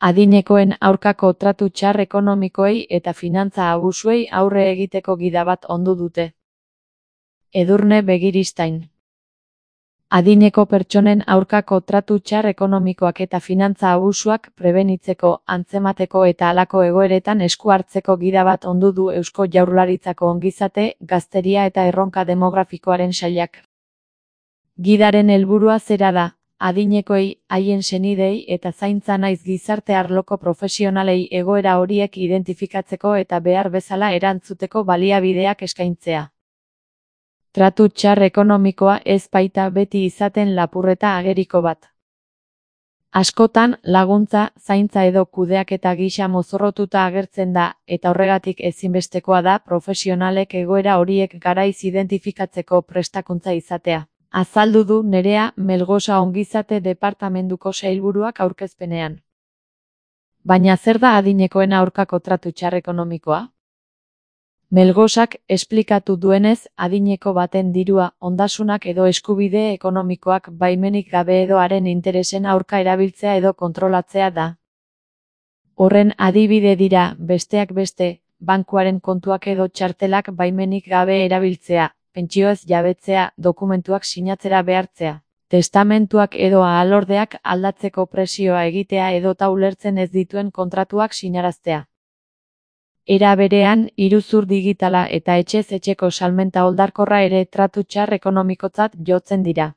Adinekoen aurkako tratu txar ekonomikoei eta finantza abusuei aurre egiteko gida bat ondu dute. Edurne Begiristain. Adineko pertsonen aurkako tratu txar ekonomikoak eta finantza abusuak prebenitzeko, antzemateko eta halako egoeretan esku hartzeko gida bat ondu du Eusko Jaurlaritzako ongizate, gazteria eta erronka demografikoaren sailak. Gidaren helburua zera da, adinekoei, haien senidei eta zaintza naiz gizarte arloko profesionalei egoera horiek identifikatzeko eta behar bezala erantzuteko baliabideak eskaintzea. Tratu txar ekonomikoa ez baita beti izaten lapurreta ageriko bat. Askotan, laguntza, zaintza edo kudeaketa gisa mozorrotuta agertzen da, eta horregatik ezinbestekoa da profesionalek egoera horiek garaiz identifikatzeko prestakuntza izatea. Azaldu du Nerea Melgosa ongizate departamentuko sailburuak aurkezpenean. Baina zer da adinekoen aurkako tratu txar ekonomikoa? Melgosak esplikatu duenez, adineko baten dirua, ondasunak edo eskubide ekonomikoak baimenik gabe edo haren interesen aurka erabiltzea edo kontrolatzea da. Horren adibide dira, besteak beste, bankuaren kontuak edo txartelak baimenik gabe erabiltzea, pentsioez jabetzea, dokumentuak sinatzera behartzea, testamentuak edo ahalordeak aldatzeko presioa egitea edota ulertzen ez dituen kontratuak sinaraztea. Era berean, iruzur digitala eta etxez etxeko salmenta oldarkorra ere tratu txar ekonomikotzat jotzen dira.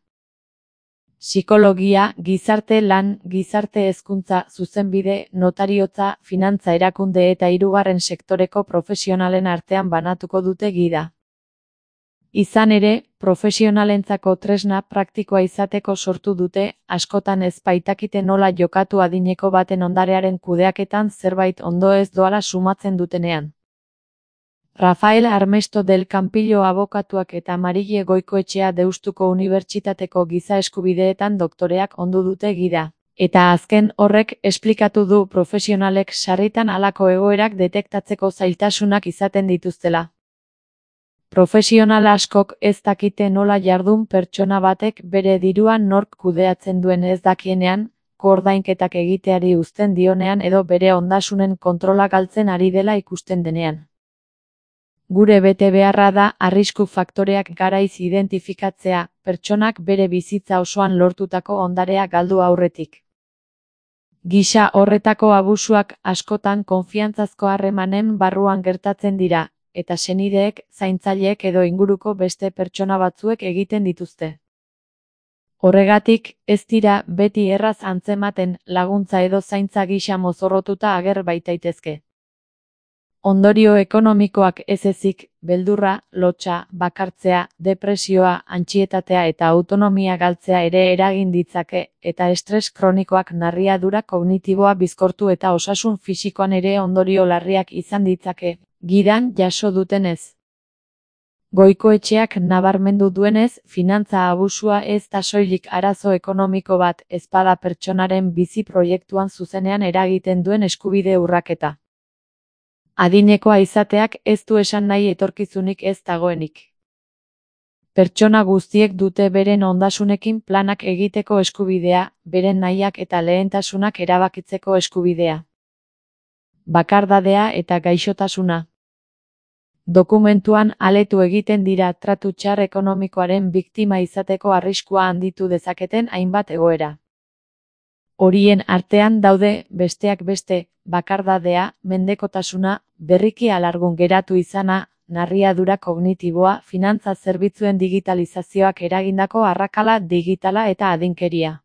Psikologia, gizarte lan, gizarte hezkuntza, zuzenbide, notariotza, finantza erakunde eta hirugarren sektoreko profesionalen artean banatuko dute gida. Izan ere, profesionalentzako tresna praktikoa izateko sortu dute, askotan ez baitakite nola jokatu adineko baten ondarearen kudeaketan zerbait ondo ez doala sumatzen dutenean. Rafael Armesto del Campillo abokatuak eta Marile Goikoetxea Deustuko Unibertsitateko giza eskubideetan doktoreak ondu dute gida. Eta azken horrek esplikatu du profesionalek sarritan halako egoerak detektatzeko zailtasunak izaten dituztela. Profesional askok ez dakite nola jardun pertsona batek bere dirua nork kudeatzen duen ez dakienean, koordainketak egiteari uzten dionean edo bere ondasunen kontrola galtzen ari dela ikusten denean. Gure betebeharra da arrisku faktoreak garaiz identifikatzea, pertsonak bere bizitza osoan lortutako ondarea galdu aurretik. Gisa horretako abusuak askotan konfiantzazko harremanen barruan gertatzen dira, eta senideek, zaintzaileek edo inguruko beste pertsona batzuek egiten dituzte. Horregatik, ez dira beti erraz antzematen laguntza edo zaintza gisa mozorrotuta ager baitaitezke. Ondorio ekonomikoak ez ezik, beldurra, lotsa, bakartzea, depresioa, antsietatea eta autonomia galtzea ere eragin ditzake, eta estres kronikoak narriadura kognitiboa bizkortu eta osasun fisikoan ere ondorio larriak izan ditzake. Gidan jaso dutenez. Goikoetxeak nabarmendu duenez, finantza abusua ez da soilik arazo ekonomiko bat, ez bada pertsonaren bizi proiektuan zuzenean eragiten duen eskubide urraketa. Adinekoa izateak ez du esan nahi etorkizunik ez dagoenik. Pertsona guztiek dute beren ondasunekin planak egiteko eskubidea, beren nahiak eta lehentasunak erabakitzeko eskubidea. Bakardadea eta gaixotasuna. Dokumentuan aletu egiten dira tratu txar ekonomikoaren biktima izateko arriskua handitu dezaketen hainbat egoera. Horien artean daude, besteak beste, bakardadea, mendekotasuna, berriki alargun geratu izana, narriadura kognitiboa, finantza zerbitzuen digitalizazioak eragindako arrakala digitala eta adinkeria.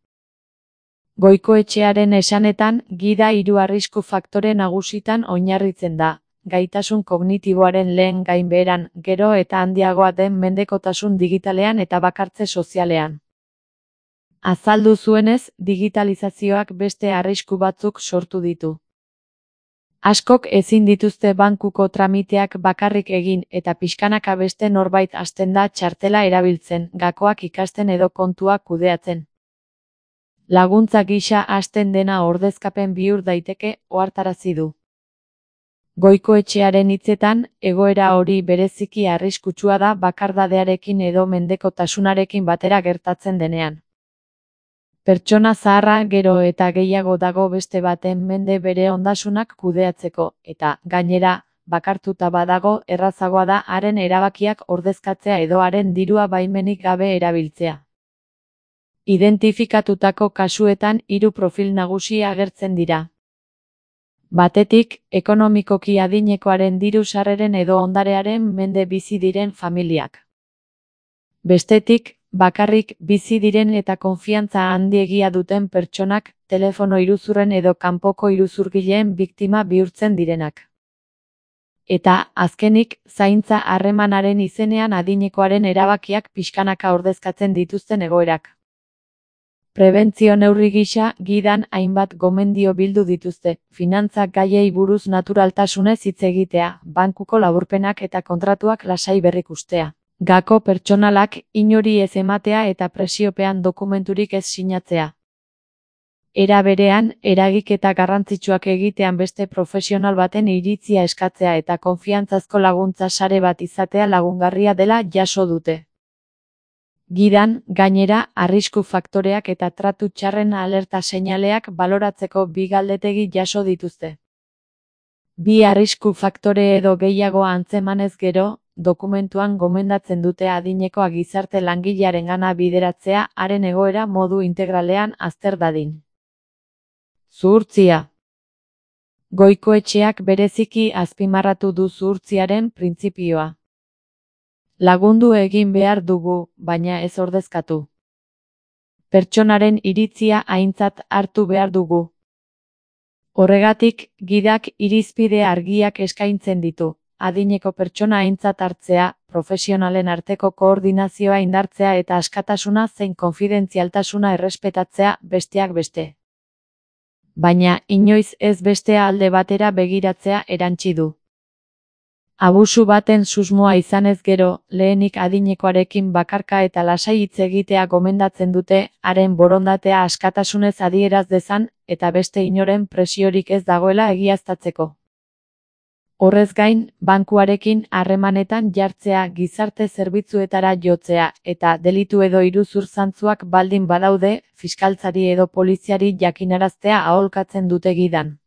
Goikoetxearen esanetan, gida hiru arrisku faktore nagusitan oinarritzen da. Gaitasun kognitiboaren lehen gainbeheran, gero eta handiagoa den mendekotasun digitalean eta bakartze sozialean. Azaldu zuenez, digitalizazioak beste arrisku batzuk sortu ditu. Askok ezin dituzte bankuko tramiteak bakarrik egin eta pixkanaka beste norbait hasten da txartela erabiltzen, gakoak ikasten edo kontuak kudeatzen. Laguntza gisa hasten dena ordezkapen bihur daiteke, ohartarazi du. Goikoetxearen hitzetan, egoera hori bereziki arriskutsua da bakardadearekin edo mendekotasunarekin batera gertatzen denean. Pertsona zaharra gero eta gehiago dago beste baten mende bere ondasunak kudeatzeko, eta, gainera, bakartuta badago errazagoa da haren erabakiak ordezkatzea edo haren dirua baimenik gabe erabiltzea. Identifikatutako kasuetan 3 profil nagusi agertzen dira. Batetik, ekonomikoki adinekoaren diru sarreren edo ondarearen mende bizi diren familiak. Bestetik, bakarrik bizi diren eta konfiantza handiegia duten pertsonak, telefono iruzurren edo kanpoko iruzurgileen biktima bihurtzen direnak. Eta, azkenik, zaintza harremanaren izenean adinekoaren erabakiak pixkanaka ordezkatzen dituzten egoerak. Prebentzio neurri gisa, gidan hainbat gomendio bildu dituzte, finantza gaiei buruz naturaltasunez hitz egitea, bankuko laburpenak eta kontratuak lasai berrikustea. Gako pertsonalak inori ez ematea eta presiopean dokumenturik ez sinatzea. Era berean, eragiketa garrantzitsuak egitean beste profesional baten iritzia eskatzea eta konfiantzazko laguntza sare bat izatea lagungarria dela jaso dute. Gidan, gainera, arrisku faktoreak eta tratu txarren alerta seinaleak baloratzeko 2 galdetegi jaso dituzte. 2 arrisku faktore edo gehiago antzemanez gero, dokumentuan gomendatzen dute adinekoa gizarte langilearengana bideratzea haren egoera modu integralean azter dadin. Zuhurtzia. Goikoetxeak bereziki azpimarratu du zuhurtziaren printzipioa. Lagundu egin behar dugu, baina ez ordezkatu. Pertsonaren iritzia aintzat hartu behar dugu. Horregatik, gidak irizpide argiak eskaintzen ditu. Adineko pertsona aintzat hartzea, profesionalen arteko koordinazioa indartzea eta askatasuna zein konfidentzialtasuna errespetatzea besteak beste. Baina, inoiz ez bestea alde batera begiratzea erantsi du. Abusu baten susmoa izanez gero, lehenik adinekoarekin bakarka eta lasai hitz egitea gomendatzen dute, haren borondatea askatasunez adieraz dezan, eta beste inoren presiorik ez dagoela egiaztatzeko. Horrez gain, bankuarekin harremanetan jartzea gizarte zerbitzuetara jotzea, eta delitu edo iruzur zantzuak baldin badaude, fiskaltzari edo poliziari jakinaraztea aholkatzen dute gidan.